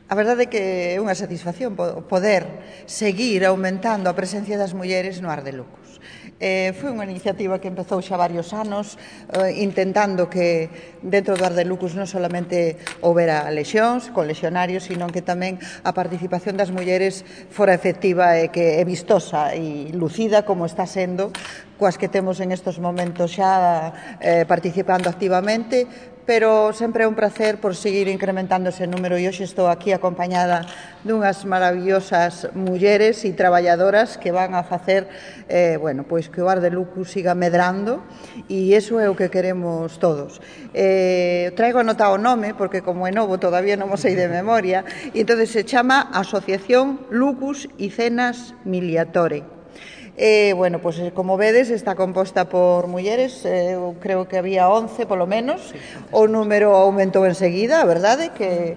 A verdade é que é unha satisfacción poder seguir aumentando a presencia das mulleres no Ar de Lucus. Foi unha iniciativa que empezou xa varios anos intentando que dentro do Ar de Lucus non solamente houbera lexións con lexionarios, sino que tamén a participación das mulleres fora efectiva e que é vistosa e lucida como está sendo coas que temos en estes momentos xa participando activamente, pero sempre é un placer por seguir incrementando ese número e hoxe estou aquí acompañada dunhas maravillosas mulleres e traballadoras que van a facer pois que o Ar de Lucus siga medrando e iso é o que queremos todos. Traigo anotado o nome porque como é novo todavía non mo sei de memoria e entón se chama Asociación Lucus y Cenas Miliatore. Pois, como vedes, está composta por mulleres, eu creo que había 11 polo menos, o número aumentou enseguida, a verdade, que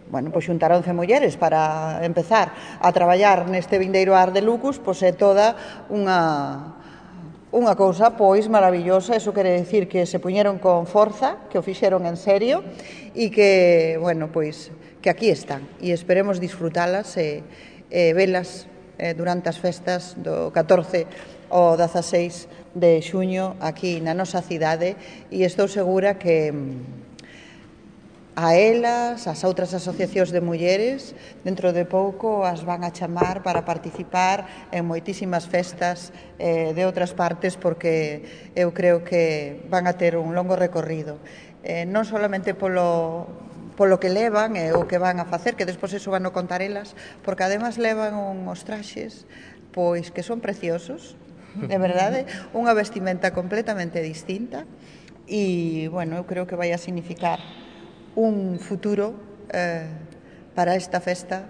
pois xuntar 11 mulleres para empezar a traballar neste vindeiro Ar de Lucus, pois é toda unha cousa pois maravillosa. Eso quere decir que se puñeron con forza, que o fixeron en serio e que, pois, que aquí están e esperemos disfrutalas e velas durante as festas do 14 ao 16 de xuño aquí na nosa cidade e estou segura que a elas, as outras asociacións de mulleres, dentro de pouco as van a chamar para participar en moitísimas festas de outras partes porque eu creo que van a ter un longo recorrido, non solamente polo que levan e o que van a facer, que despois eso van a contar elas, porque además levan uns traxes pois que son preciosos, de verdade, unha vestimenta completamente distinta e, eu creo que vai a significar un futuro para esta festa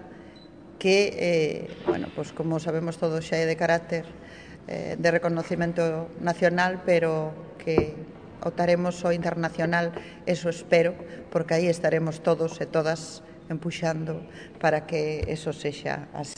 que, pois como sabemos todos xa é de carácter de reconocimento nacional, pero que optaremos ao internacional, eso espero, porque aí estaremos todos e todas empuxando para que eso sexa así.